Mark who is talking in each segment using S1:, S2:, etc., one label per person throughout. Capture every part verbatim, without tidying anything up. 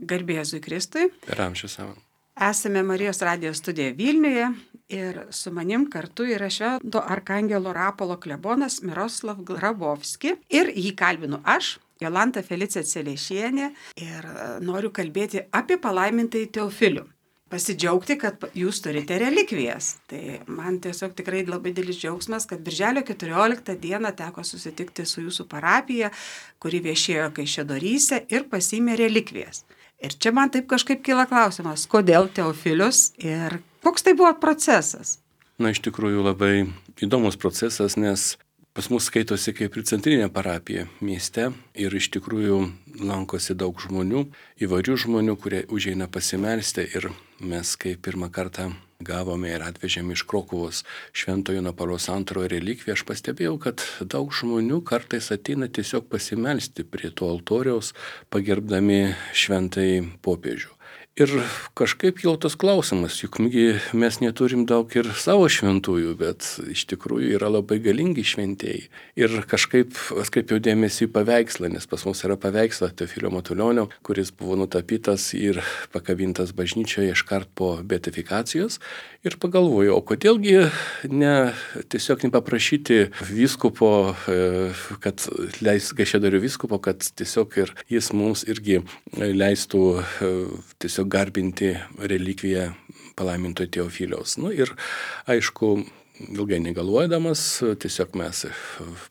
S1: Garbė Jėzui Kristui.
S2: Per amžius savo.
S1: Esame Marijos radijos studijoje Vilniuje ir su manim kartu yra Švento Arkangelo Rapolo klebonas Miroslav Grabovski. Ir jį kalbinu aš, Jolanta Felicija Celiešienė, ir noriu kalbėti apie palaimintąjį Teofilių. Pasidžiaugti, kad jūs turite relikvijas. Tai man tiesiog tikrai labai didelis džiaugsmas, kad birželio keturioliktą dieną teko susitikti su jūsų parapija, kuri viešėjo Kaišiadoryse ir pasiėmė relikvijas. Ir čia man taip kažkaip kyla klausimas, kodėl Teofilius ir koks tai buvo procesas?
S2: Na, iš tikrųjų labai įdomus procesas, nes pas mus skaitosi kaip ir centrinė parapija mieste ir iš tikrųjų lankosi daug žmonių, įvairių žmonių, kurie užeina pasimelsti ir mes kai pirmą kartą gavome ir atvežėme iš Krokuvos Šventojo Jono Pauliaus antrojo relikviją, aš pastebėjau, kad daug žmonių kartais ateina tiesiog pasimelsti prie to altoriaus, pagerbdami šventąjį popiežių. Ir kažkaip jau tas klausimas, juk mes neturim daug ir savo šventųjų, bet iš tikrųjų yra labai galingi šventieji. Ir kažkaip atkreipiau dėmesį į paveikslą, nes pas mus yra paveikslas Teofilio Matulionio, kuris buvo nutapytas ir pakabintas bažnyčioje iškart po beatifikacijos. Ir pagalvojau, o kodėlgi ne, tiesiog nepaprašyti vyskupo, kad leis Kaišiadorių vyskupo, kad tiesiog ir jis mums irgi leistų tiesiog garbinti relikviją palaiminto Teofiliaus. Nu ir aišku, ilgai negalvodamas, tiesiog mes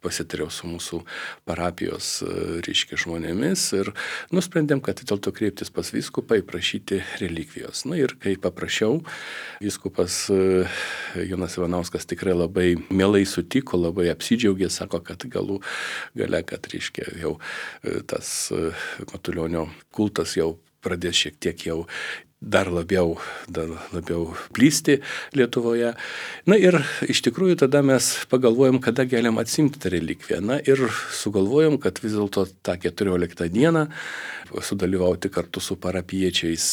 S2: pasitariau su mūsų parapijos reiškia žmonėmis ir nusprendėm, kad dėl to kreiptis pas vyskupą ir prašyti relikvijos. Nu ir kai paprašiau, vyskupas Jonas Ivanauskas tikrai labai mielai sutiko, labai apsidžiaugė, sako, kad galų gale, kad reiškia jau tas Matulionio kultas jau pradės šiek tiek jau dar labiau, dar labiau plysti Lietuvoje. Na ir iš tikrųjų tada mes pagalvojom, kada galim atsimti tą relikviją. Na ir sugalvojom, kad vis dėlto tą keturioliktą dieną sudalyvauti kartu su parapiečiais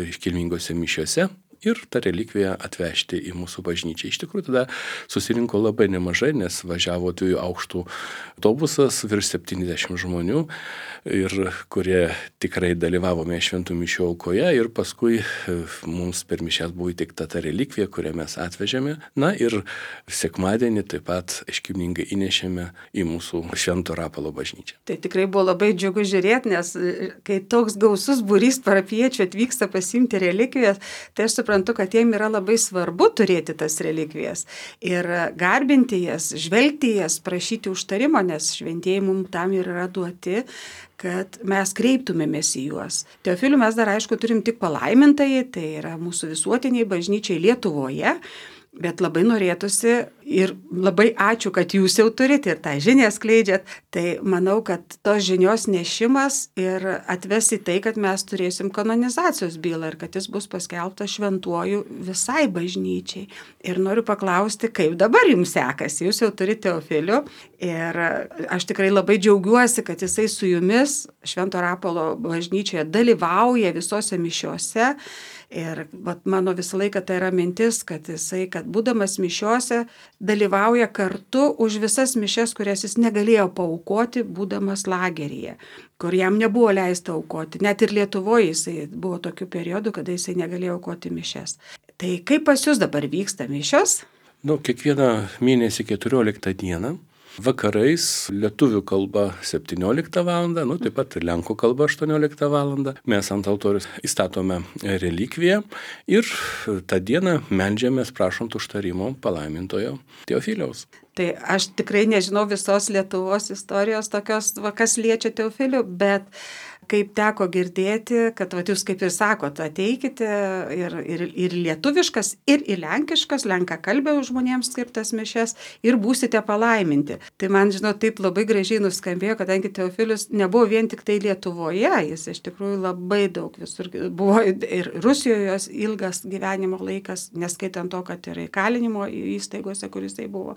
S2: iškilmingose mišiose ir tą relikviją atvežti į mūsų bažnyčią. Iš tikrųjų tada susirinko labai nemažai, nes važiavo dviejų aukštų autobusas, virš septyniasdešimt žmonių, ir kurie tikrai dalyvavome šventų mišių aukoje ir paskui mums per mišias buvo įteikta ta relikvija, kurią mes atvežėme. Na ir sekmadienį taip pat iškilmingai įnešėme į mūsų Švento Rapolo bažnyčią.
S1: Tai tikrai buvo labai džiugu žiūrėti, nes kai toks gausus būrys parapiečių atvyksta pasiimti relikvijas, tai aš suprantu, kad jiem yra labai svarbu turėti tas relikvijas ir garbinti jas, žvelgti jas, prašyti užtarimo, nes šventieji mums tam ir yra duoti, kad mes kreiptumėmės į juos. Teofilių mes dar aišku turim tik palaimintąjį, tai yra mūsų visuotiniai bažnyčiai Lietuvoje, bet labai norėtųsi ir labai ačiū, kad jūs jau turite ir tą žinią skleidžiat. Tai manau, kad tos žinios nešimas ir atves į tai, kad mes turėsim kanonizacijos bylą ir kad jis bus paskelbtas šventuoju visai bažnyčiai. Ir noriu paklausti, kaip dabar jums sekasi. Jūs jau turite Teofilių ir aš tikrai labai džiaugiuosi, kad jisai su jumis Švento Rapolo bažnyčioje dalyvauja visose mišiose. Ir vat, mano visą laiką tai yra mintis, kad jisai, kad būdamas mišiose, dalyvauja kartu už visas mišias, kurias jis negalėjo paaukoti, būdamas lageryje, kur jam nebuvo leista aukoti. Net ir Lietuvoje jisai buvo tokių periodų, kada jisai negalėjo aukoti mišias. Tai kaip pas jūs dabar vyksta mišios?
S2: Nu, kiekvieną mėnesį keturioliktą dieną. Vakarais lietuvių kalba septynioliktą valandą, nu taip pat lenkų kalba aštuonioliktą valandą. Mes ant altorius įstatome relikviją ir tą dieną meldžiamės prašant užtarimo palaimintojo Teofiliaus.
S1: Tai aš tikrai nežinau visos Lietuvos istorijos tokios, va, kas liečia Teofilių, bet kaip teko girdėti, kad va, jūs kaip ir sakot, ateikite ir, ir, ir lietuviškas, ir į lenkiškas, lenkakalbė žmonėms skirtas mišias ir būsite palaiminti. Tai man, žinau, taip labai gražiai nuskambėjo, kadangi Teofilius nebuvo vien tik tai Lietuvoje, jis iš tikrųjų labai daug visur buvo ir Rusijoje ilgas gyvenimo laikas, neskaitant to, kad ir įkalinimo įstaigose, kuris tai buvo.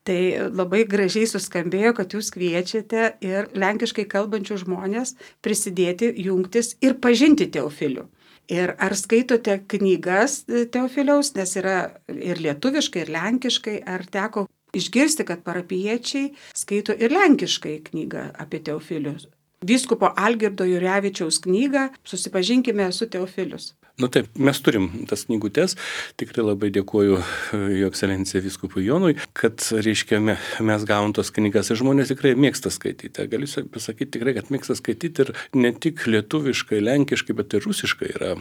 S1: Tai labai gražiai suskambėjo, kad jūs kviečiate ir lenkiškai kalbančių žmonės prisidėti, jungtis ir pažinti Teofilių. Ir ar skaitote knygas Teofiliaus, nes yra ir lietuviškai, ir lenkiškai, ar teko išgirsti, kad parapiečiai skaito ir lenkiškai knygą apie Teofilių? vyskupo Algirdo Jurevičiaus knygą Susipažinkime su Teofilius.
S2: Nu taip, mes turim tas knygutes, tikrai labai dėkuoju Jo ekscelencija vyskupui Jonui, kad, reiškia, mes gavom tos knygas ir žmonės tikrai mėgsta skaityti. Galiu pasakyti tikrai, kad mėgsta skaityti ir ne tik lietuviškai, lenkiškai, bet ir rusiškai yra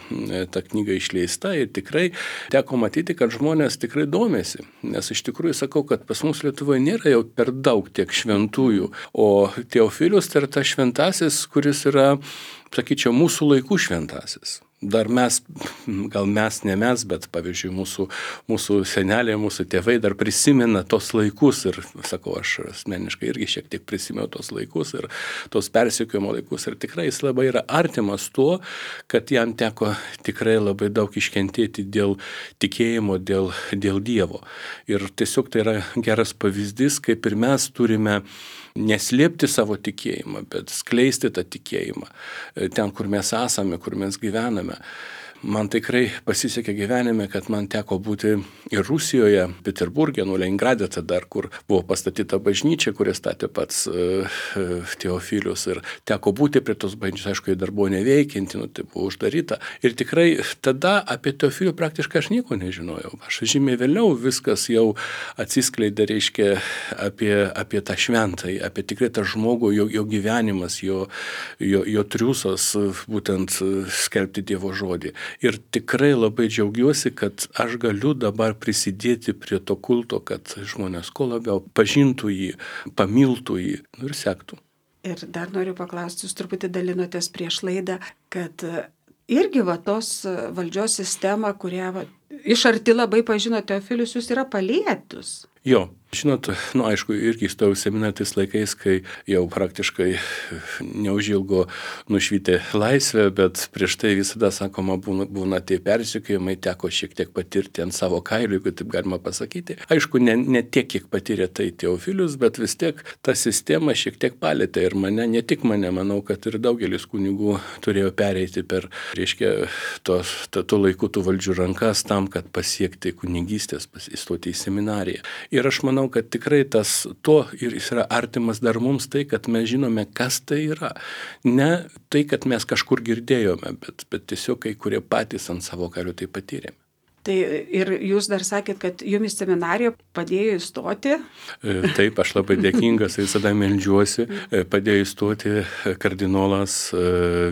S2: ta knyga išleista ir tikrai teko matyti, kad žmonės tikrai domėsi. Nes iš tikrųjų sakau, kad pas mus Lietuvoje nėra jau per daug tiek šventųjų, o Teofilius tai yra tas šventasis, kuris yra, sakyčiau, mūsų laikų šventasis. Dar mes, gal mes, ne mes, bet pavyzdžiui mūsų, mūsų seneliai, mūsų tėvai dar prisimena tos laikus ir, sakau, aš asmeniškai irgi šiek tiek prisimenu tos laikus ir tos persekiojimo laikus ir tikrai jis labai yra artimas tuo, kad jam teko tikrai labai daug iškentėti dėl tikėjimo, dėl, dėl Dievo. Ir tiesiog tai yra geras pavyzdys, kaip ir mes turime neslėpti savo tikėjimą, bet skleisti tą tikėjimą ten, kur mes esame, kur mes gyvename. Man tikrai pasisekė gyvenime, kad man teko būti ir Rusijoje, Peterburge, nu Leningrade tada, kur buvo pastatyta bažnyčia, kurią statė pats uh, Teofilius ir teko būti prie tos bažnyčios, aišku, jie dar buvo neveikianti, nu, tai buvo uždaryta. Ir tikrai tada apie Teofilių praktiškai aš nieko nežinojau. Aš žymiai vėliau viskas jau atsiskleidė, reiškia, apie, apie tą šventąjį, apie tikrai tą žmogų, jo, jo gyvenimas, jo, jo, jo triūsas, būtent skelbti Dievo žodį. Ir tikrai labai džiaugiuosi, kad aš galiu dabar prisidėti prie to kulto, kad žmonės kuo labiau pažintų jį, pamiltų jį ir sektų.
S1: Ir dar noriu paklausti, jūs truputį dalinotės prieš laidą, kad irgi va tos valdžios sistema, kurią va, iš arti labai pažino Teofilius, jūs yra palietus.
S2: Jo. Žinot, nu aišku, irgi įstojau seminarą tais laikais, kai jau praktiškai neužilgo nušvitė laisvė, bet prieš tai visada, sakoma, būna, būna tie persekiojimai, teko šiek tiek patirti ant savo kailių, jeigu taip galima pasakyti. Aišku, ne, ne tiek, kiek patyrė tai Teofilius, bet vis tiek ta sistema šiek tiek palėtė ir mane, ne tik mane, manau, kad ir daugelis kunigų turėjo pereiti per, reiškia, tos, tų laikų tų valdžių rankas tam, kad pasiekti kunigystės, įstoti į seminariją. Ir aš manau, kad tikrai tas to ir jis yra artimas dar mums tai, kad mes žinome, kas tai yra. Ne tai, kad mes kažkur girdėjome, bet, bet tiesiog kai kurie patys ant savo kelių tai patyrėme.
S1: Tai ir jūs dar sakėt, kad jumis seminarijoje padėjo įstoti?
S2: Taip, aš labai dėkingas, visada meldžiuosi. Padėjo įstoti kardinolas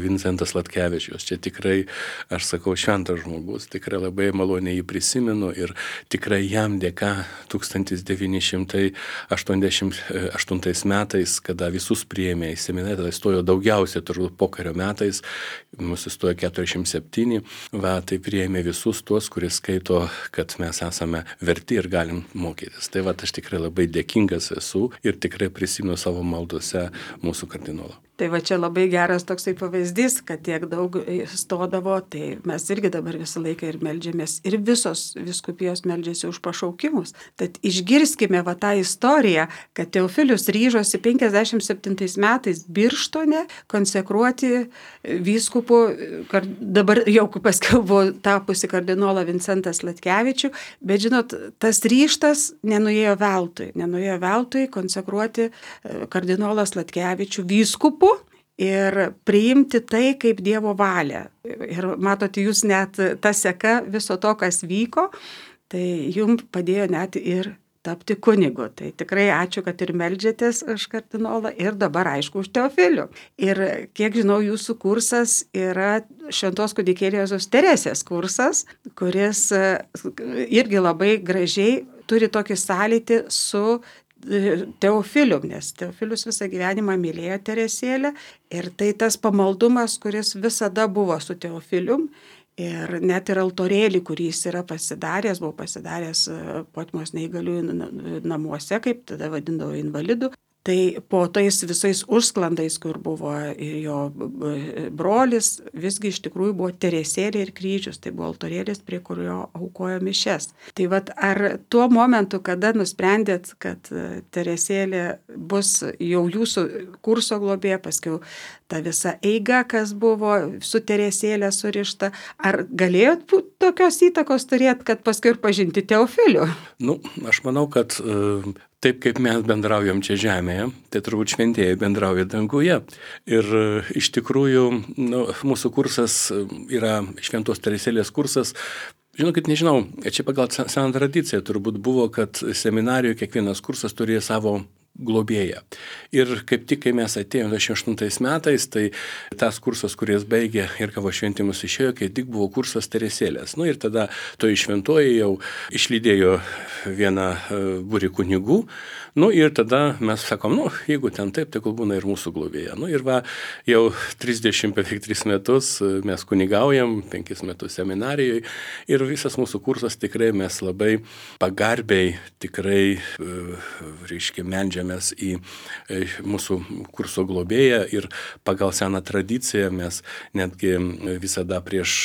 S2: Vincentas Latkevičius. Čia tikrai, aš sakau, šventas žmogus. Tikrai labai maloniai jį prisimenu ir tikrai jam dėka tūkstantis devyni šimtai aštuoniasdešimt aštuntais metais, kada visus priėmė į seminariją, tada įstojo daugiausiai, turbūt pokario metais, mūsų įstojo keturiasdešimt septyni, va, tai priėmė visus tuos, kuris skaito, kad mes esame verti ir galim mokytis. Tai va, aš tikrai labai dėkingas esu ir tikrai prisimenu savo maldose mūsų kardinolą.
S1: Tai va čia labai geras toksai pavyzdys, kad tiek daug stodavo, tai mes irgi dabar visą laiką ir meldžiamės, ir visos vyskupijos meldžiasi už pašaukimus. Tad išgirskime va tą istoriją, kad Teofilius ryžosi penkiasdešimt septintais metais Birštone konsekruoti vyskupų, dabar jau paskiau buvo tapusi kardinolą Vincentas Latkevičių, bet žinot, tas ryžtas nenuėjo veltui, nenuėjo veltui konsekruoti kardinolas Latkevičių vyskupu ir priimti tai kaip Dievo valią. Ir matote, jūs net ta seka viso to, kas vyko, tai jums padėjo net ir tapti kunigu. Tai tikrai ačiū, kad ir meldžiatės už kardinolą ir dabar aišku už Teofilių. Ir kiek žinau, jūsų kursas yra Šventos kūdikėlės Teresės kursas, kuris irgi labai gražiai turi tokį sąlytį su Teofilium, nes Teofilius visą gyvenimą mylėjo Teresėlę ir tai tas pamaldumas, kuris visada buvo su Teofilium ir net ir altorėlį, kurį jis yra pasidaręs, buvo pasidaręs Potmos neįgaliųjų namuose, kaip tada vadindavo invalidų. Tai po tais visais užsklandais, kur buvo jo brolis, visgi iš tikrųjų buvo Teresėlė ir kryžius, tai buvo altorėlis, prie kurio aukojo mišes. Tai vat ar tuo momentu, kada nusprendėt, kad Teresėlė bus jau jūsų kurso globėja, paskiau ta visa eiga, kas buvo su Teresėlė surišta. Ar galėjot tokios įtakos turėti, kad paskui ir pažinti Teofilių?
S2: Nu, aš manau, kad uh, taip kaip mes bendraujam čia žemėje, tai turbūt šventieji bendrauja danguje. Ir uh, iš tikrųjų, nu, mūsų kursas yra Šventos Teresėlės kursas. Žinokit, nežinau, čia pagal seną tradiciją turbūt buvo, kad seminarijoje kiekvienas kursas turėjo savo globėją. Ir kaip tik, kai mes atėjome dvidešimt aštuntais metais, tai tas kursas, kuris baigė ir kavo šventimus išėjo, kai tik buvo kursas Teresėlės. Nu ir tada toji šventoji jau išlydėjo vieną būrį kunigų. Nu ir tada mes sakom, nu, jeigu ten taip, tai kol būna ir mūsų globėja. Nu ir va, jau trisdešimt beveik tris metus mes kunigaujam, penkis metus seminarijoje ir visas mūsų kursas tikrai mes labai pagarbiai, tikrai, reiškia, meldžiamės į mūsų kurso globėją ir pagal seną tradiciją mes netgi visada prieš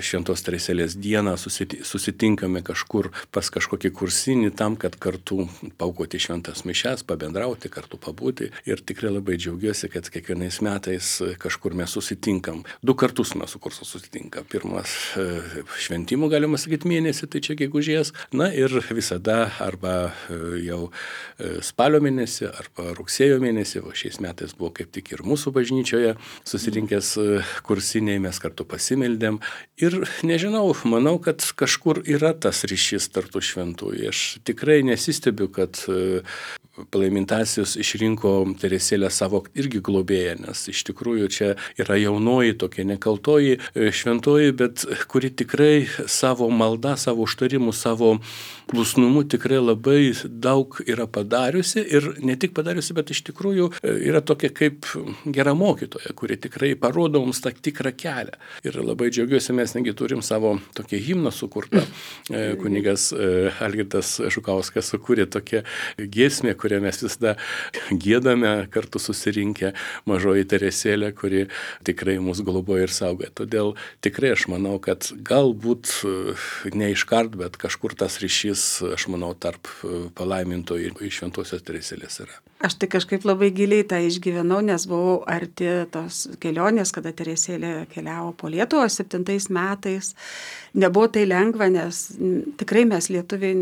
S2: Šventos Teresėlės dieną susitinkame kažkur pas kažkokį kursinį tam, kad kartu paaukoti šventas mišias, pabendrauti, kartu pabūti. Ir tikrai labai džiaugiuosi, kad kiekvienais metais kažkur mes susitinkam. Du kartus mes su kursu susitinkam. Pirmas šventimų, galima sakyti, mėnesį, tai čia gegužės. Na ir visada arba jau spalio mėnesį, arba rugsėjo mėnesį, o šiais metais buvo kaip tik ir mūsų bažnyčioje susirinkęs kursiniai, mes kartu pasimeldėm. Ir nežinau, manau, kad kažkur yra tas ryšys tarp tų šventųjų. Aš tikrai nesistebiu, kad Palaimintasis išrinko Teresėlę savo irgi globėją, nes iš tikrųjų čia yra jaunoji, tokia nekaltoji šventoji, bet kuri tikrai savo maldą, savo užtarimu, savo klusnumu tikrai labai daug yra padariusi ir ne tik padariusi, bet iš tikrųjų yra tokia kaip gera mokytoja, kuri tikrai parodo mums tą tikrą kelią. Ir labai džiaugiuosi, mes negi turim savo tokį himną sukurtą. Kunigas Algirdas Žukauskas sukūrė tokią giesmę, kurią mes visada giedame kartu susirinkę, mažoji Teresėlė, kuri tikrai mus globoja ir saugoja. Todėl tikrai aš manau, kad galbūt ne iškart, bet kažkur tas ryšys, aš manau, tarp palaimintojų ir Šventosios Teresėlės yra.
S1: Aš tai kažkaip labai giliai tą išgyvenau, nes buvau arti tos kelionės, kada Teresėlė keliavo po Lietuvą septintais metais. Nebuvo tai lengva, nes tikrai mes lietuviai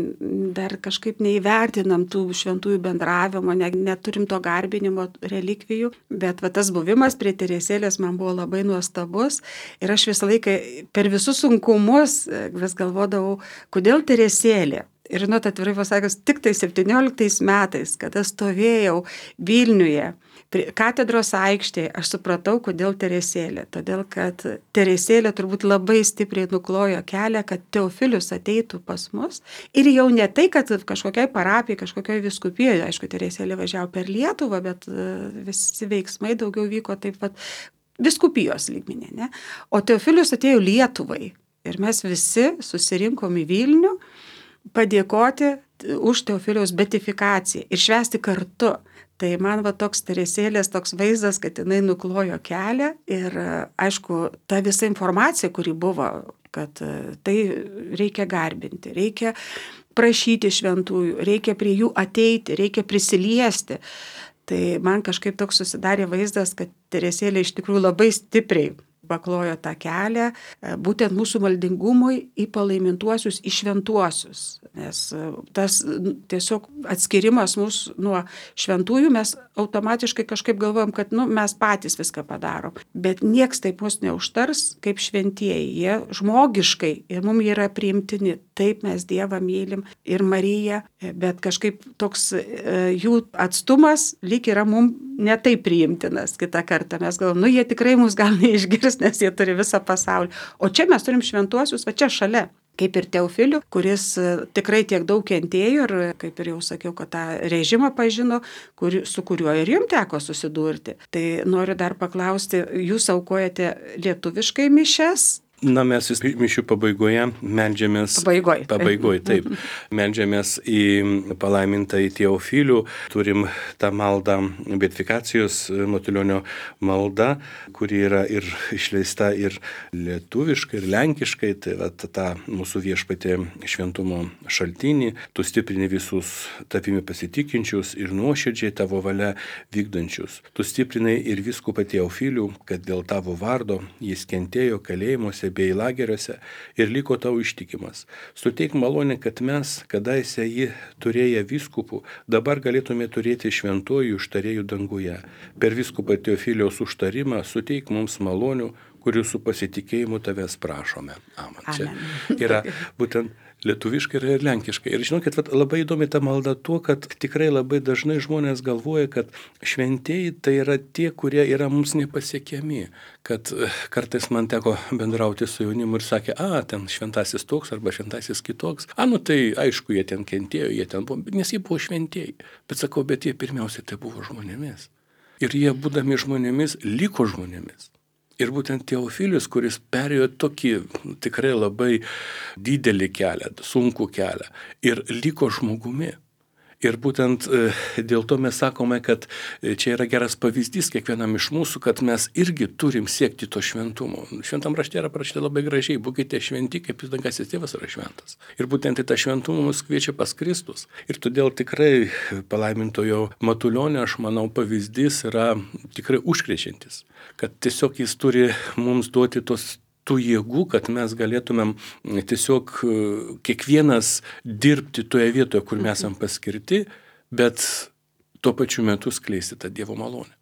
S1: dar kažkaip neįvertinam tų šventųjų bendravimo, ne, neturim to garbinimo relikvijų, bet va, tas buvimas prie Teresėlės man buvo labai nuostabus ir aš visą laiką per visus sunkumus vis galvodavau, kodėl Teresėlė. Ir žinot, atvirai pasakius, tik tai septynioliktais metais, kada stovėjau Vilniuje, katedros aikštėje, aš supratau, kodėl Teresėlė. Todėl, kad Teresėlė turbūt labai stipriai nuklojo kelią, kad Teofilius ateitų pas mus. Ir jau ne tai, kad kažkokiai parapijai, kažkokiai viskupijoje, aišku, Teresėlė važiavo per Lietuvą, bet visi veiksmai daugiau vyko taip pat viskupijos lygmenį, ne? O Teofilius atėjo Lietuvai. Ir mes visi susirinkom į Vilnių padėkoti už Teofiliaus beatifikaciją ir švęsti kartu. Tai man va toks Teresėlės toks vaizdas, kad jinai nuklojo kelią ir aišku, ta visa informacija, kuri buvo, kad tai reikia garbinti, reikia prašyti šventųjų, reikia prie jų ateiti, reikia prisiliesti. Tai man kažkaip toks susidarė vaizdas, kad Teresėlė iš tikrųjų labai stipriai paklojo tą kelią būtent mūsų maldingumui į palaimintuosius, į šventuosius. Nes tas tiesiog atskirimas mūsų nuo šventųjų, mes automatiškai kažkaip galvojam, kad nu, mes patys viską padarom. Bet nieks taip mus neužtars kaip šventieji. Jie žmogiškai ir mums yra priimtini. Taip mes Dievą mylim ir Mariją, bet kažkaip toks jų atstumas lyg yra mums netaip priimtinas kitą kartą. Mes galvom, nu jie tikrai mus gal neišgirs, nes jie turi visą pasaulį. O čia mes turim šventuosius, va čia šalia. Kaip ir Teofilių, kuris tikrai tiek daug kentėjo ir, kaip ir jau sakiau, kad tą režimą pažino, kur, su kuriuo ir jums teko susidurti. Tai noriu dar paklausti, jūs aukojate lietuviškai mišias
S2: Na, mes vis mišių pabaigoje meldžiamės.
S1: Pabaigoje.
S2: Pabaigoje, taip. Meldžiamės į palaimintą į Teofilių. Turim tą maldą, beatifikacijos Matulionio malda, kuri yra ir išleista ir lietuviškai, ir lenkiškai. Tai va, ta mūsų Viešpatie šventumo šaltinį. Tu stiprini visus tavimi pasitikinčius ir nuoširdžiai tavo valia vykdančius. Tu stiprinai ir vyskupą Teofilių, kad dėl tavo vardo jis kentėjo kalėjimuose bei lageriuose ir liko tau ištikimas. Suteik malonę, kad mes, kadaise jį turėję vyskupų, dabar galėtume turėti šventojų užtarėjų danguje. Per vyskupą Teofiliaus užtarimą suteik mums malonių, kurių su pasitikėjimu tavęs prašome. Amen. Čia yra būtent lietuviškai ir lenkiškai. Ir žinokit, labai įdomi ta malda tuo, kad tikrai labai dažnai žmonės galvoja, kad šventieji tai yra tie, kurie yra mums nepasiekiami. Kad kartais man teko bendrauti su jaunimu ir sakė, a, ten šventasis toks arba šventasis kitoks. A, nu tai aišku, jie ten kentėjo, jie ten buvo, nes jie buvo šventieji. Bet sakau, bet jie pirmiausiai tai buvo žmonėmis. Ir jie, būdami žmonėmis, liko žmonėmis. Ir būtent Teofilius, kuris perėjo tokį tikrai labai didelį kelią, sunkų kelią ir liko žmogumi. Ir būtent dėl to mes sakome, kad čia yra geras pavyzdys kiekvienam iš mūsų, kad mes irgi turim siekti to šventumo. Šventam rašte yra parašyta labai gražiai, būkite šventi, kaip jūs dangasis tėvas yra šventas. Ir būtent į tą šventumą mus kviečia pas Kristus. Ir todėl tikrai palaimintojo Matulionio, aš manau, pavyzdys yra tikrai užkrečiantis. Kad tiesiog jis turi mums duoti tos tų jėgų, kad mes galėtumėm tiesiog kiekvienas dirbti toje vietoje, kur mes esam paskirti, bet tuo pačiu metu skleisti tą Dievo malonę.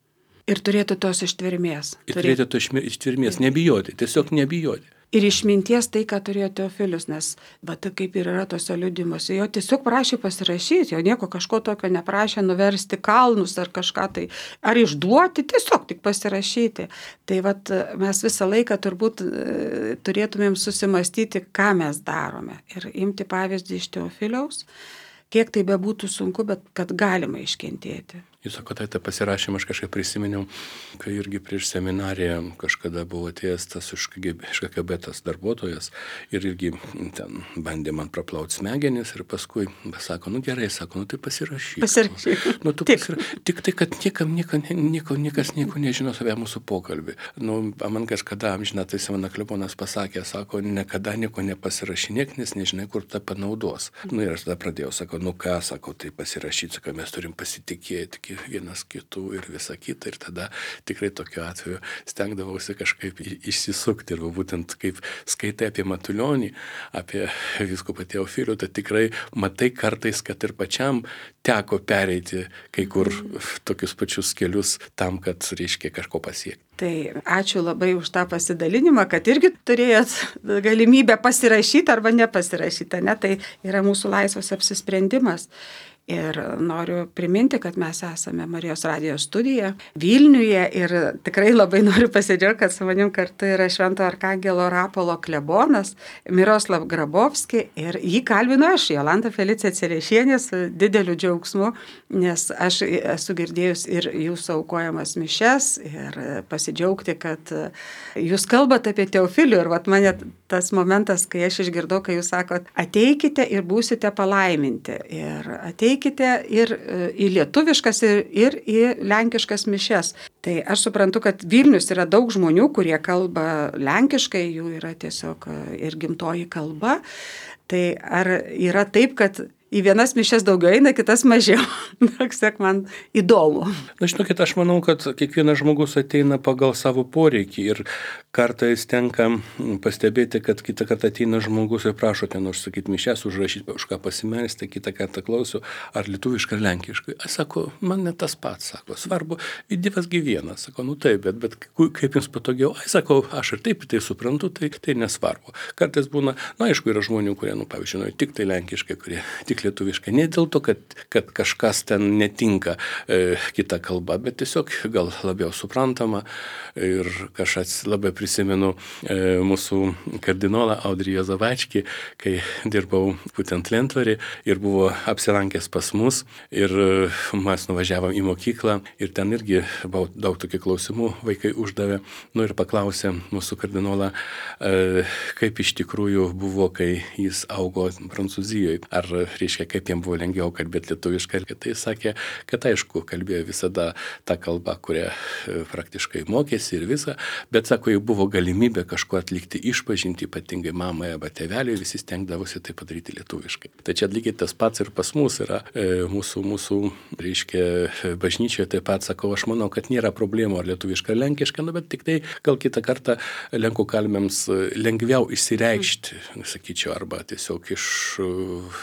S1: Ir turėti tos ištvermės.
S2: Ir turėti tos ištvermės, nebijoti, tiesiog nebijoti.
S1: Ir išminties tai, ką turėjo Teofilius, nes va, tai kaip ir yra tose liudimuose, jo tiesiog prašė pasirašyti, jo nieko kažko tokio neprašė nuversti kalnus ar kažką tai, ar išduoti, tiesiog tik pasirašyti. Tai va, mes visą laiką turbūt turėtumėm susimastyti, ką mes darome ir imti pavyzdį iš Teofiliaus, kiek tai bebūtų sunku, bet kad galima iškentėti.
S2: Jūs sakote, tai pasirašymą aš kažkaip prisiminiau, kai irgi prieš seminariją kažkada buvo atėjęs tas iš K G B tas darbuotojas ir irgi ten bandė man praplauti smegenis ir paskui sako, nu gerai, sako, nu tai pasirašyk.
S1: Pasirašyk.
S2: Nu, tu tik. Pasira... tik tai, kad niekam, nieko, nieko, niekas nieko nežino apie mūsų pokalbį. Nu, man kažkada amžiną tai Simona Klebonas pasakė, sako, niekada nieko nepasirašinėk, nes nežinai, kur tą panaudos. Nu ir aš tada pradėjau, sako, nu ką, sako, tai pasirašyti, sako, mes turim pasitikėti vienas kitų ir visa kita. Ir tada tikrai tokiu atveju stengdavausi kažkaip išsisukti. Ir būtent kaip skaitai apie Matulionį, apie vyskupą Teofilių, tai tikrai matai kartais, kad ir pačiam teko pereiti kai kur tokius pačius kelius tam, kad reiškia kažko pasiekti.
S1: Tai ačiū labai už tą pasidalinimą, kad irgi turėjot galimybę pasirašyti arba nepasirašyti, ne? Tai yra mūsų laisvas apsisprendimas. Ir noriu priminti, kad mes esame Marijos radijo studija Vilniuje ir tikrai labai noriu pasidžiaugti, kad su manim kartu yra Švento Arkangelo Rapolo klebonas Miroslav Grabovski ir jį kalbinu aš, Jolanta Felicija Celešienė, su dideliu džiaugsmu, nes aš esu girdėjus ir jūsų aukojamas mišes ir pasidžiaugti, kad jūs kalbate apie Teofilių ir vat mane tas momentas, kai aš išgirdau, kai jūs sakot, ateikite ir būsite palaiminti ir ateikite ir į lietuviškas, ir, ir į lenkiškas mišes. Tai aš suprantu, kad Vilnius yra daug žmonių, kurie kalba lenkiškai, jų yra tiesiog ir gimtoji kalba. Tai ar yra taip, kad į vienas mišes daugiau eina, kitas mažiau? Sak, man įdomu.
S2: Na, žinokit, aš manau, kad kiekvienas žmogus ateina pagal savo poreikį ir kartais tenka pastebėti, kad kitą kartą ateina žmogus ir prašo ten užsakyti mišes, užrašyti, už ką pasimelsti, kitą kartą klausiu, ar lietuviškai, ar lenkiškai. Aš sako, man ne tas pats, sako, svarbu, Dievas gi vienas, sako, nu taip, bet, bet kaip jums patogiau, aš sako, aš ir taip tai suprantu, tai, tai nesvarbu. Kartais būna, na, aišku, yra žmonių, kurie, nu, pavyzdžiui, tik tai lenkiškai, kurie tik tik lietuviškai. Ne dėl to, kad, kad kažkas ten netinka e, kita kalba, bet tiesiog gal labiau suprantama. Ir kažkas labai prisimenu e, mūsų kardinolą Audrį Juozavačkį, kai dirbau būtent Lentvarį ir buvo apsilankęs pas mus ir e, mes nuvažiavom į mokyklą ir ten irgi buvo daug tokių klausimų, vaikai uždavė, nu ir paklausė mūsų kardinolą, e, kaip iš tikrųjų buvo, kai jis augo Prancūzijoje. Ar, reiškia, kaip jam buvo lengviau kalbėti lietuviškai. Ir tai sakė, kad aišku, kalbėjo visada tą kalbą, kurią praktiškai mokėsi ir visą, bet sako, jau buvo galimybė kažko atlikti išpažinti, ypatingai mamai arba tėveliui, visi stengdavosi tai padaryti lietuviškai. Tai čia lygiai tas pats ir pas mus yra. E, mūsų, mūsų, reiškia, bažnyčioje taip pat sakau, aš manau, kad nėra problemų ar lietuviška, ar lenkiška, nu, bet tik tai gal kitą kartą lenkų kalbėms lengviau išsireikšti, sakyčiau, arba tiesiog iš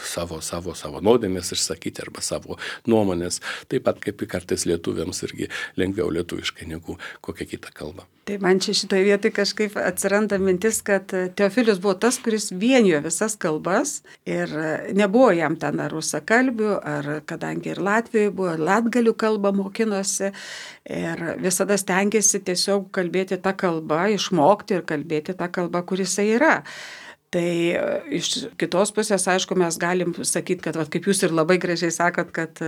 S2: savo, savo, savo nuodėmės išsakyti arba savo nuomonės, taip pat kaip kartais lietuviams irgi lengviau lietuviškai negu kokia kita kalba.
S1: Tai man čia šitoje vietoje kažkaip atsiranda mintis, kad Teofilius buvo tas, kuris vienijo visas kalbas ir nebuvo jam ten ar rusakalbių, ar kadangi ir Latvijoje buvo, latgalių kalbą mokinosi ir visada stengiasi tiesiog kalbėti tą kalbą, išmokti ir kalbėti tą kalbą, kuris jisai yra. Tai iš kitos pusės, aišku, mes galim sakyti, kad, va, kaip jūs ir labai gražiai sakot, kad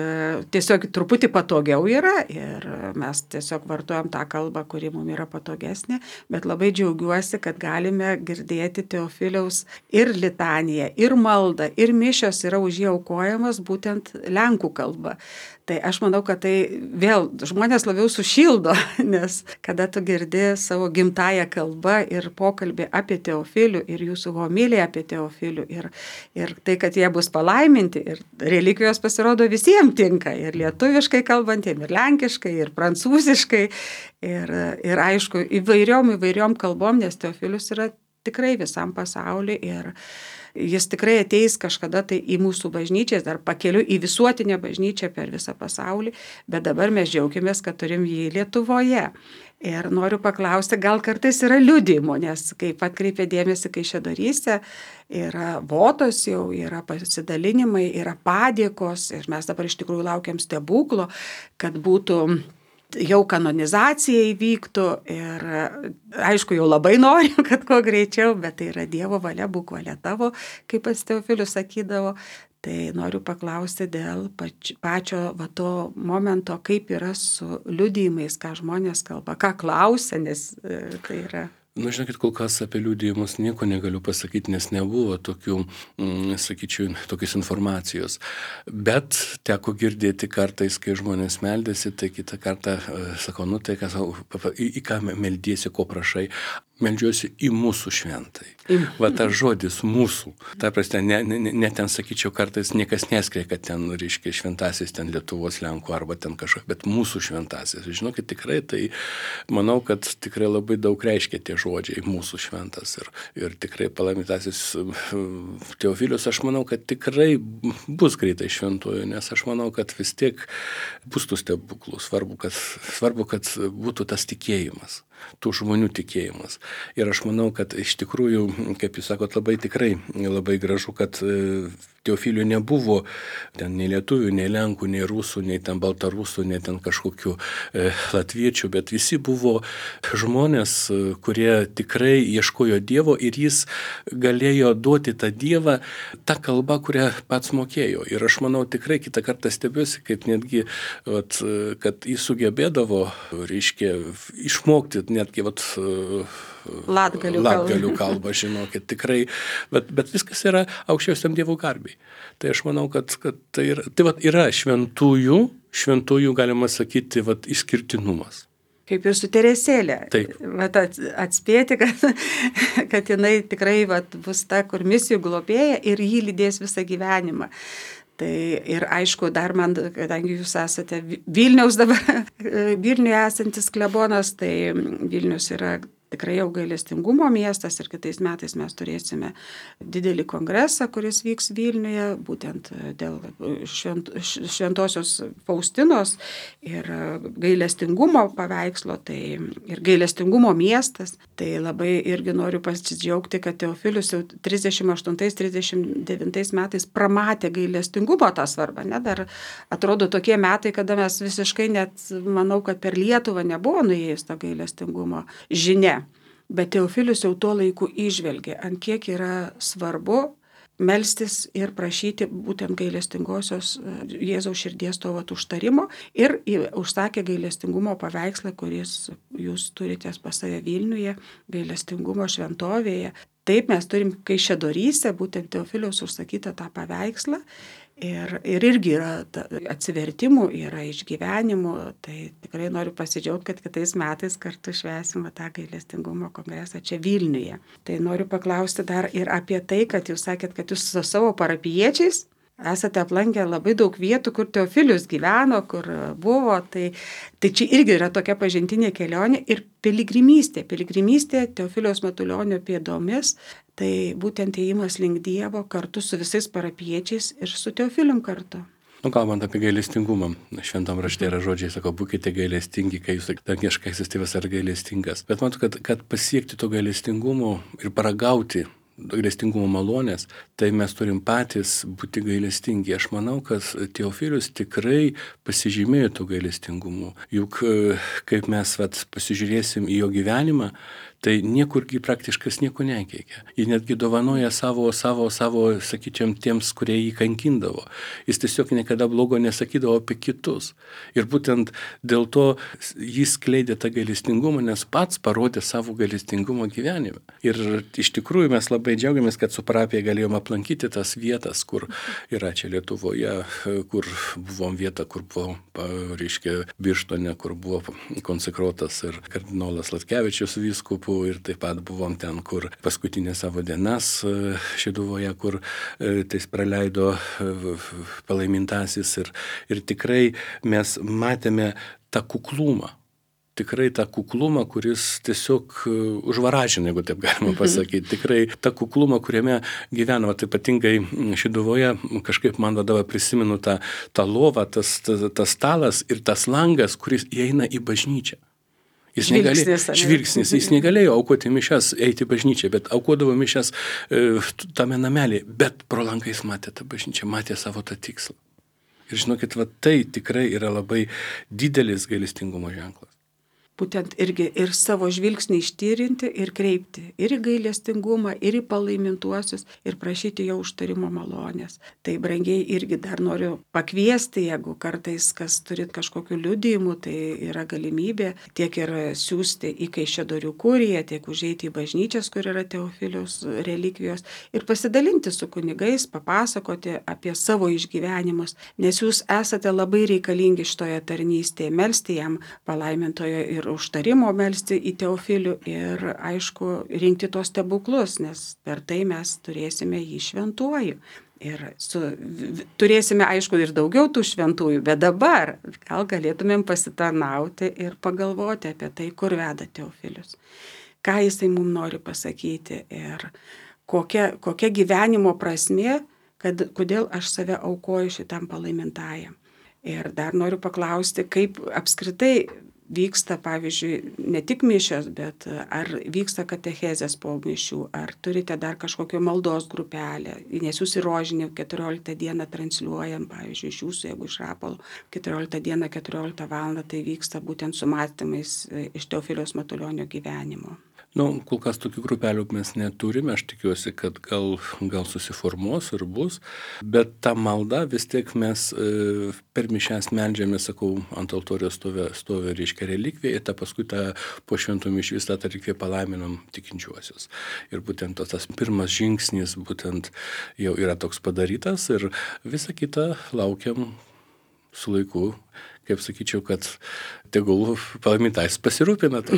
S1: tiesiog truputį patogiau yra ir mes tiesiog vartojam tą kalbą, kuri mums yra patogesnė, bet labai džiaugiuosi, kad galime girdėti Teofiliaus ir litaniją, ir maldą, ir mišios yra už jį aukojamos būtent lenkų kalba. Tai aš manau, kad tai vėl žmonės labiau sušildo, nes kada tu girdi savo gimtąją kalbą ir pokalbį apie Teofilių ir jūsų homiliją apie Teofilių ir, ir tai, kad jie bus palaiminti ir relikvijos pasirodo visiems tinka, ir lietuviškai kalbantiem, ir lenkiškai, ir prancūziškai, ir, ir aišku, įvairiom, įvairiom kalbom, nes Teofilius yra tikrai visam pasauliu ir jis tikrai ateis kažkada tai į mūsų bažnyčias, dar pakeliu į visuotinę bažnyčią per visą pasaulį, bet dabar mes džiaugiamės, kad turim jį Lietuvoje. Ir noriu paklausti, gal kartais yra liudijimo, nes kaip atkreipė dėmesį Kaišiadoryse, yra votos jau, yra pasidalinimai, yra padėkos ir mes dabar iš tikrųjų laukiam stebuklo, kad būtų jau kanonizacija įvyktų ir aišku, jau labai norim, kad kuo greičiau, bet tai yra Dievo valia, būk valia tavo, kaip pats Teofilius sakydavo. Tai noriu paklausti dėl pač, pačio va, to momento, kaip yra su liudijimais, ką žmonės kalba, ką klausia, nes e, tai yra...
S2: Nu, žinokit, kol kas apie liudijimus nieko negaliu pasakyti, nes nebuvo tokių, mm, sakyčiau, tokios informacijos. Bet teko girdėti kartais, kai žmonės meldėsi, tai kitą kartą e, sakau, nu tai, kas, į, į ką meldėsi, ko prašai. Meldžiuosi į mūsų šventai. Va tas žodis mūsų. Ta prasme, ne, ne, ne ten, sakyčiau, kartais niekas neskria, kad ten, reiškia, šventasis ten Lietuvos Lenkų arba ten kažkokia, bet mūsų šventasis. Žinokit, tikrai tai, manau, kad tikrai labai daug reiškia tie žodžiai mūsų šventas. Ir, ir tikrai palaimintasis Teofilius, aš manau, kad tikrai bus greitai šventuoju, nes aš manau, kad vis tiek bus tų stebuklų. Svarbu, kad, svarbu, kad būtų tas tikėjimas. Tų žmonių tikėjimas. Ir aš manau, kad iš tikrųjų, kaip jūs sakot, labai tikrai, labai gražu, kad Teofilių nebuvo ten nei lietuvių, nei lenkų, nei rusų, nei ten baltarusų, nei ten kažkokių e, latviečių, bet visi buvo žmonės, kurie tikrai ieškojo Dievo ir jis galėjo duoti tą Dievą tą kalbą, kurią pats mokėjo. Ir aš manau, tikrai kitą kartą stebiuosi, kaip netgi, vat, kad jis sugebėdavo, reiškia, išmokti netgi vat,
S1: latgalių,
S2: latgalių kalbą, žinokit, tikrai, bet, bet viskas yra aukščiausiam Dievo garbiai. Tai aš manau, kad, kad tai, yra, tai vat, yra šventųjų, šventųjų, galima sakyti, vat, išskirtinumas.
S1: Kaip ir su Teresėlė.
S2: Taip.
S1: Vat atspėti, kad, kad jinai tikrai vat, bus ta, kur misijų globėja ir jį lydės visą gyvenimą. Tai ir aišku, dar man, kadangi jūs esate Vilniaus dabar, Vilniuje esantis klebonas, tai Vilnius yra tikrai jau gailestingumo miestas ir kitais metais mes turėsime didelį kongresą, kuris vyks Vilniuje, būtent dėl švent, šventosios Faustinos ir gailestingumo paveikslo, tai ir gailestingumo miestas. Tai labai irgi noriu pasidžiaugti, kad Teofilius jau trisdešimt aštuntais trisdešimt devintais metais pramatė gailestingumo tą svarbą. Ne? Dar atrodo tokie metai, kada mes visiškai net, manau, kad per Lietuvą nebuvo nuėjus to gailestingumo žinia. Bet Teofilius jau tuo laiku įžvelgė, ant kiek yra svarbu melstis ir prašyti būtent gailestingosios Jėzaus širdies to vat užtarimo ir užsakė gailestingumo paveikslą, kuris jūs turite pas save Vilniuje, gailestingumo šventovėje. Taip mes turim Kaišiadoryse, būtent Teofiliaus užsakytą tą paveikslą. Ir, ir irgi yra atsivertimų, yra išgyvenimų, tai tikrai noriu pasidžiaugti, kad kitais metais kartu švęsime tą gailestingumo kongresą čia Vilniuje. Tai noriu paklausti dar ir apie tai, kad jūs sakėt, kad jūs su savo parapijiečiais esate aplankę labai daug vietų, kur Teofilius gyveno, kur buvo, tai, tai čia irgi yra tokia pažintinė kelionė ir piligrimystė. Piligrimystė Teofiliaus Matulionio pėdomis, tai būtent ėjimas link Dievo kartu su visais parapijiečiais ir su Teofilium kartu.
S2: Nu, kalbant apie gailestingumą, šventam rašte yra žodžiai, sako, būkite gailestingi, kai jūs dangiškasis tėvas yra gailestingas. Bet matau, kad, kad pasiekti to gailestingumo ir paragauti gailestingumo malonės, tai mes turim patys būti gailestingi. Aš manau, kad Teofilius tikrai pasižymėjo to gailestingumu. Juk kaip mes vat, pasižiūrėsim į jo gyvenimą, tai niekurgi praktiškas nieko nekeikia. Jis netgi dovanoja savo, savo, savo, sakyčiam, tiems, kurie jį kankindavo. Jis tiesiog niekada blogo nesakydavo apie kitus. Ir būtent dėl to jis skleidė tą gailestingumą, nes pats parodė savo gailestingumo gyvenime. Ir iš tikrųjų mes labai džiaugiamės, kad su parapija galėjom aplankyti tas vietas, kur yra čia Lietuvoje, kur buvom vieta, kur buvo, reiškia, Birštone, kur buvo konsekruotas ir kardinolas Latkevičius vyskupų. Ir taip pat buvom ten, kur paskutinė savo dienas Šeduvoje, kur tais praleido palaimintasis. Ir, ir tikrai mes matėme tą kuklumą. Tikrai tą kuklumą, kuris tiesiog užvaražina, jeigu taip galima pasakyti. Tikrai tą kuklumą, kuriame gyvenama, tai ypatingai Šeduvoje, kažkaip man vadovą prisimenu tą, tą lovą, tas, tas, tas stalas ir tas langas, kuris įeina į bažnyčią. Jis negalėjo, žvilgsnis, jis negalėjo aukoti mišias, eiti į bažnyčią, bet aukodavo mišias e, tame namelėje, bet pro langą jis matė tą bažnyčią, matė savo tą tikslą. Ir žinokit, va, tai tikrai yra labai didelis gailestingumo ženklas.
S1: Būtent irgi ir savo žvilgsnį ištyrinti ir kreipti ir į gailestingumą, ir į palaimintuosius ir prašyti jo užtarimo malonės. Tai brangiai irgi dar noriu pakviesti, jeigu kartais kas turit kažkokių liudijimų, tai yra galimybė tiek ir siūsti į Kaišiadorių kuriją, tiek užeiti į bažnyčias, kur yra Teofiliaus relikvijos ir pasidalinti su kunigais, papasakoti apie savo išgyvenimus, nes jūs esate labai reikalingi šitoje tarnystėje, melsti jam palaimintojo ir užtarimo melsti į Teofilių ir, aišku, rinkti tos stebuklus, nes per tai mes turėsime jį šventuoju. Ir su, turėsime, aišku, ir daugiau tų šventųjų, bet dabar gal galėtumėm pasitarnauti ir pagalvoti apie tai, kur veda Teofilius. Ką jisai mums nori pasakyti ir kokia, kokia gyvenimo prasmė, kad, kodėl aš save aukoju šitam palaimintajam. Ir dar noriu paklausti, kaip apskritai vyksta, pavyzdžiui, ne tik mišios, bet ar vyksta katechezės po mišių, ar turite dar kažkokią maldos grupelę, nes jūs į Rožinį keturioliktą dieną transliuojam, pavyzdžiui, iš jūsų, jeigu iš Rapalo, keturioliktą dieną, keturioliktą valandą, tai vyksta būtent su mąstymais iš Teofiliaus Matulionio gyvenimo.
S2: Nu, kol kas tokių grupelių mes neturime, aš tikiuosi, kad gal, gal susiformuos ir bus, bet ta malda vis tiek mes e, per mišias meldžiame, sakau, ant altoriaus stovi, stovi reiškia relikvija, ir ta paskui tą po šventų mišių visą tą relikviją palaiminam tikinčiuosius. Ir būtent tas pirmas žingsnis būtent jau yra toks padarytas ir visą kitą laukiam su laiku, kaip sakyčiau, kad tegul palaimintais pasirūpina to.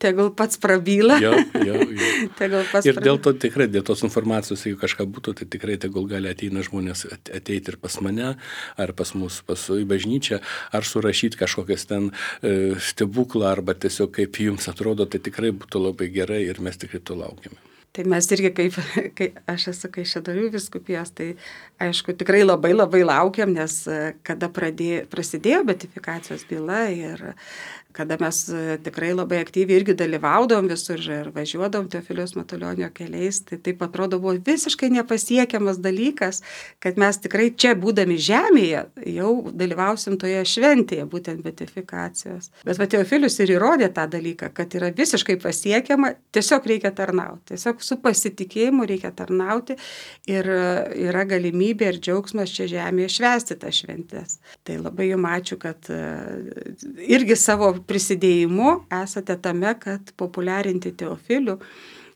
S1: tegul pats prabyla.
S2: Jo, jo, jo.
S1: Tegul pats
S2: ir dėl
S1: prabyla.
S2: to tikrai, dėl tos informacijos, jeigu kažką būtų, tai tikrai tegul gali ateina žmonės ateiti ir pas mane, ar pas mus, pas į bažnyčią, ar surašyti kažkokias ten e, stebuklą, arba tiesiog kaip jums atrodo, tai tikrai būtų labai gerai ir mes tikrai to laukiame.
S1: Tai mes irgi, kaip, kai aš esu Kaišiadorių vyskupijos, tai aišku, tikrai labai labai laukiam, nes kada pradėjo, prasidėjo beatifikacijos byla ir kada mes tikrai labai aktyviai irgi dalyvaudavom visur ir važiuodavom Teofiliaus Matulionio keliais, tai taip atrodo buvo visiškai nepasiekiamas dalykas, kad mes tikrai čia būdami žemėje jau dalyvausim toje šventėje, būtent beatifikacijos. Bet va Teofilius ir įrodė tą dalyką, kad yra visiškai pasiekiama, tiesiog reikia tarnauti, tiesiog su pasitikėjimu reikia tarnauti ir yra galimybė ir džiaugsmas čia žemėje švęsti tas šventės. Tai labai jums ačiū, kad irgi savo prisidėjimu esate tame, kad populiarinti Teofilių,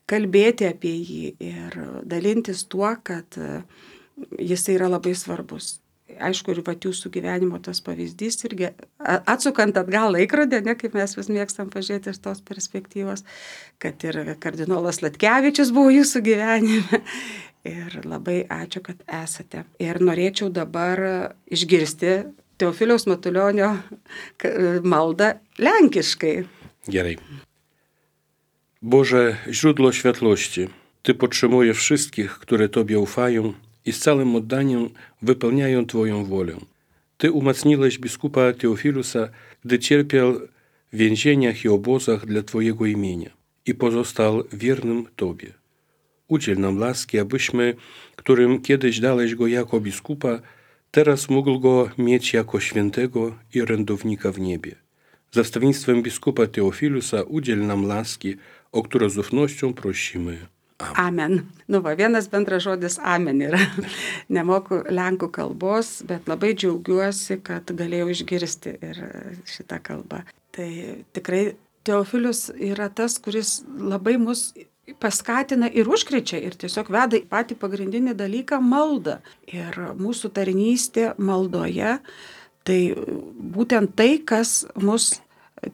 S1: kalbėti apie jį ir dalintis tuo, kad jis yra labai svarbus. Aišku, ir vat jūsų gyvenimo tas pavyzdys irgi, atsukant atgal laikrodį, ne, kaip mes vis mėgstam pažiūrėti iš tos perspektyvos, kad ir kardinolas Latkevičius buvo jūsų gyvenime. Ir labai ačiū, kad esate. Ir norėčiau dabar išgirsti Teofiliaus Matulionio maldą lenkiškai.
S2: Gerai. Boże, źródło światłości, Ty podtrzymujesz wszystkich, które Tobie ufają i z całym oddaniem wypełniają Twoją wolę. Ty umacniłeś biskupa Teofilusa, gdy cierpiał w więzieniach i obozach dla Twojego imienia i pozostał wiernym Tobie. Udziel nam łaski, abyśmy, którym kiedyś dałeś go jako biskupa, teraz mógł go mieć jako świętego i orędownika w niebie. Za wstawienstwem biskupa Teofilusa udziel nam łaski, o którą z ufnością prosimy. Amen.
S1: Amen. Nu va, vienas bendras žodis amen yra. Nemoku lenkų kalbos, bet labai džiaugiuosi, kad galėjau išgirsti ir šitą kalbą. Tai tikrai Teofilius yra tas, kuris labai mus paskatina ir užkrečia ir tiesiog veda į patį pagrindinį dalyką - maldą. Ir mūsų tarnystė maldoje, tai būtent tai, kas mus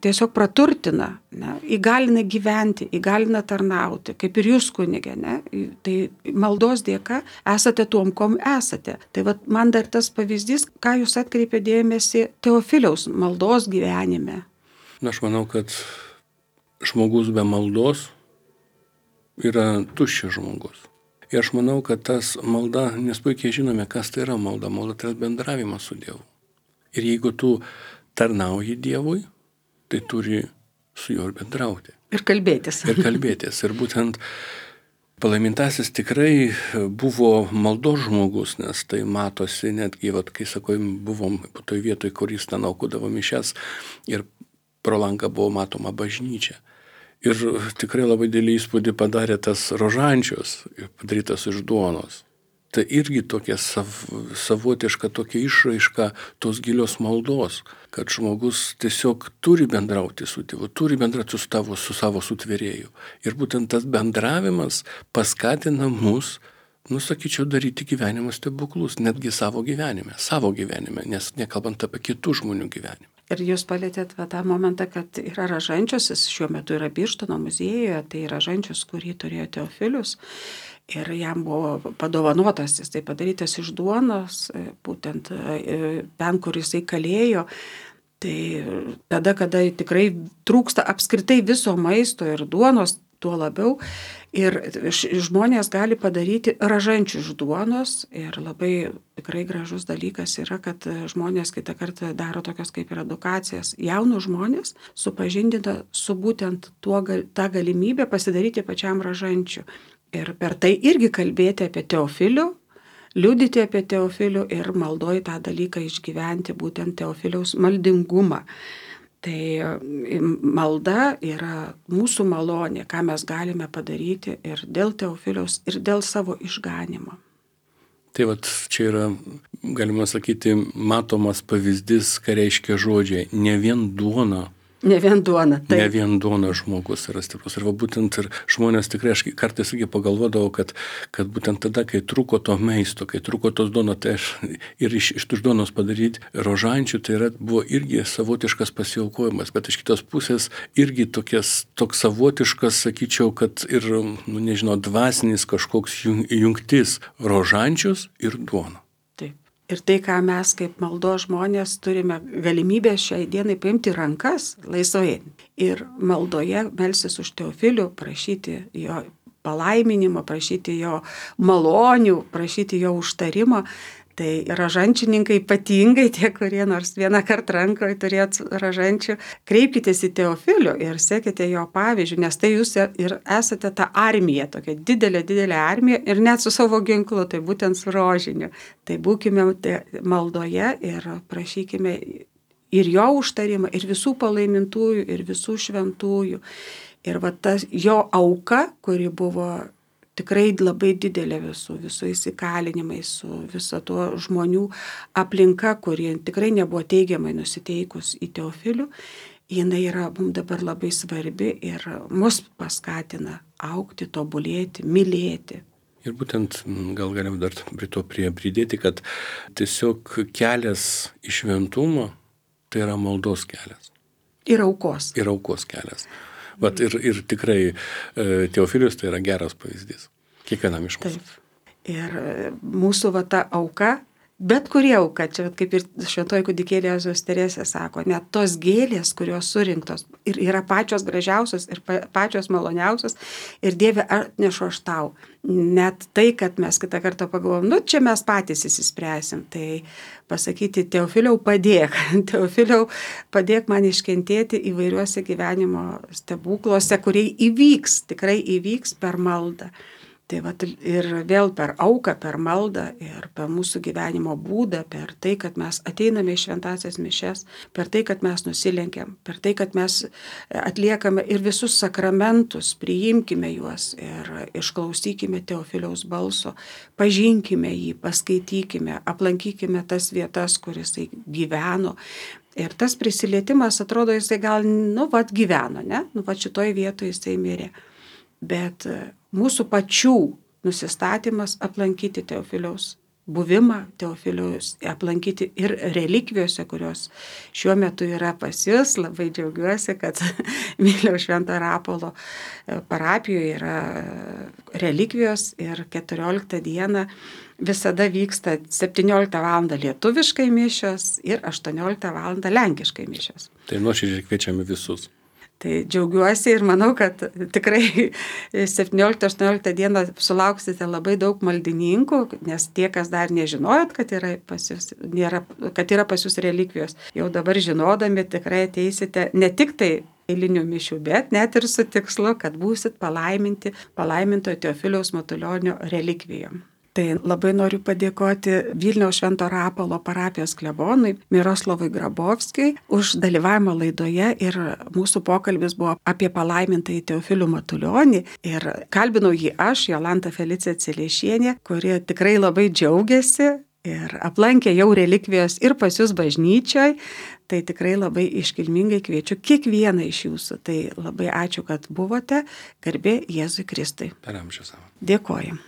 S1: tiesiog praturtina, ne, įgalina gyventi, įgalina tarnauti, kaip ir jūs kunigė, ne, tai maldos dėka esate tuom, kom esate. Tai vat, man dar tas pavyzdys, ką jūs atkreipė dėmesį Teofiliaus maldos gyvenime.
S2: Na, aš manau, kad žmogus be maldos yra tuščias žmogus. Ir aš manau, kad tas malda, nes puikiai žinome, kas tai yra malda. Malda tai yra bendravimas su Dievu. Ir jeigu tu tarnauji Dievui, tai turi su juo ir bendrauti.
S1: Ir kalbėtis.
S2: Ir kalbėtis. Ir būtent palaimintasis tikrai buvo maldos žmogus, nes tai matosi netgi, vat, kai sakom, buvom toj vietoj, kur jis ten aukudavo mišias ir pro langą buvo matoma bažnyčia. Ir tikrai labai didelį įspūdį padarė tas rožančius, padarytas iš duonos. Tai irgi tokia sav, savotiška tokia išraiška tos gilios maldos, kad žmogus tiesiog turi bendrauti su Dievu, turi bendrauti su, tavo, su savo sutvėrėju. Ir būtent tas bendravimas paskatina mus, nusakyčiau, daryti gyvenimo stebuklus, netgi savo gyvenime, savo gyvenime, nes nekalbant apie kitų žmonių gyvenimą.
S1: Ir jūs palėtėt va, tą momentą, kad yra Ražančius, jis šiuo metu yra Birštono muziejuje, tai Ražančius, kurį turėjo Teofilius. Ir jam buvo padovanotas, jis tai padarytas iš duonos, būtent ten, kur jisai kalėjo. Tai tada, kada tikrai trūksta apskritai viso maisto ir duonos, tuo labiau. Ir žmonės gali padaryti ražančių iš duonos. Ir labai tikrai gražus dalykas yra, kad žmonės kitą kartą daro tokios kaip ir edukacijas. Jaunus žmonės supažindina su būtent tuo, tą galimybę pasidaryti pačiam ražančių. Ir per tai irgi kalbėti apie Teofilių, liudyti apie Teofilių ir maldoji tą dalyką išgyventi, būtent Teofiliaus maldingumą. Tai malda yra mūsų malonė, ką mes galime padaryti ir dėl Teofiliaus, ir dėl savo išganimo.
S2: Tai vat čia yra, galima sakyti, matomas pavyzdys, ką reiškia žodžiai. Ne vien duona
S1: Ne vien duona.
S2: Taip. Ne vien duona žmogus yra stiprus. Ir va būtent ir žmonės tikrai, aš kartais irgi pagalvodavau, kad, kad būtent tada, kai trūko to maisto, kai trūko tos duonos, tai aš ir iš, iš tos duonos padaryti rožančių, tai yra, buvo irgi savotiškas pasiaukojimas, bet iš kitos pusės irgi tokias, toks savotiškas, sakyčiau, kad ir, nu, nežinau, dvasinis kažkoks jungtis rožančius ir duona.
S1: Ir tai, ką mes kaip maldos žmonės turime galimybę šiai dienai paimti rankas laisvai ir maldoje melsis už Teofilių, prašyti jo palaiminimo, prašyti jo malonių, prašyti jo užtarimo. Tai rožančininkai ypatingai tie, kurie nors vieną kartą rankoje turėt rožančių, kreipkitės į Teofilių ir sekite jo pavyzdžių, nes tai jūs ir esate ta armija, tokia didelė, didelė armija ir net su savo ginklu, tai būtent su rožiniu. Tai būkime maldoje ir prašykime ir jo užtarimą, ir visų palaimintųjų, ir visų šventųjų. Ir va tas jo auka, kuri buvo tikrai labai didelė visų, visų įsikalinimais, su viso to žmonių aplinka, kurie tikrai nebuvo teigiamai nusiteikus į Teofilių, jinai yra mums dabar labai svarbi ir mus paskatina augti, tobulėti, mylėti.
S2: Ir būtent gal galim dar prie to prie pridėti, kad tiesiog kelias į šventumą tai yra maldos kelias.
S1: Ir aukos.
S2: Ir aukos kelias. Vat ir, ir tikrai Teofilius tai yra geras pavyzdys. Kiekvienam iš mūsų.
S1: Taip. Ir mūsų va ta auka, bet kuri auka, čia kaip ir šventoji kūdikėlė Jėzaus Teresė sako, net tos gėlės, kurios surinktos ir yra pačios gražiausios ir pačios maloniausios ir Dieve atnešu aš tau. Net tai, kad mes kitą kartą pagalvom, nu čia mes patys įsispręsim, tai pasakyti Teofiliau padėk, Teofiliau padėk man iškentėti įvairiuose gyvenimo stebukluose, kurie įvyks, tikrai įvyks per maldą. Tai va, ir vėl per auką, per maldą ir per mūsų gyvenimo būdą, per tai, kad mes ateiname į šventąsias mišias, per tai, kad mes nusilenkiam, per tai, kad mes atliekame ir visus sakramentus, priimkime juos ir išklausykime Teofiliaus balso, pažinkime jį, paskaitykime, aplankykime tas vietas, kur jisai gyveno. Ir tas prisilietimas, atrodo, jisai gal, nu, vat gyveno, ne? Nu, vat šitoj vietoje jisai mirė. Bet mūsų pačių nusistatymas aplankyti Teofiliaus buvimą, Teofiliaus aplankyti ir relikvijose, kurios šiuo metu yra pas jūs. Labai džiaugiuosi, kad Vilniaus Švento Rapolo parapijoje yra relikvijos ir keturioliktą dieną visada vyksta septynioliktą valandą lietuviškai mišios ir aštuonioliktą valandą lenkiškai mišios.
S2: Tai nuoširdžiai kviečiame visus.
S1: Tai džiaugiuosi ir manau, kad tikrai septynioliktą aštuonioliktą dieną sulauksite labai daug maldininkų, nes tie, kas dar nežinojot, kad yra pas jūs, nėra, kad yra pas jūs relikvijos, jau dabar žinodami tikrai ateisite ne tik tai eilinių mišių, bet net ir su tikslu, kad būsit palaiminti palaimintojo Teofiliaus Matulionio relikvijom. Tai labai noriu padėkoti Vilniaus Švento Rapolo parapijos klebonui Miroslavui Grabovskijui už dalyvavimą laidoje ir mūsų pokalbis buvo apie palaimintąjį Teofilių Matulionį ir kalbinau jį aš, Jolanta Felicija Celiešienė, kuri tikrai labai džiaugiasi ir aplankė jau relikvijos ir pas jūs bažnyčioj, tai tikrai labai iškilmingai kviečiu kiekvieną iš jūsų. Tai labai ačiū, kad buvote, garbė Jėzui Kristui.
S2: Per amžius savo.
S1: Dėkojam.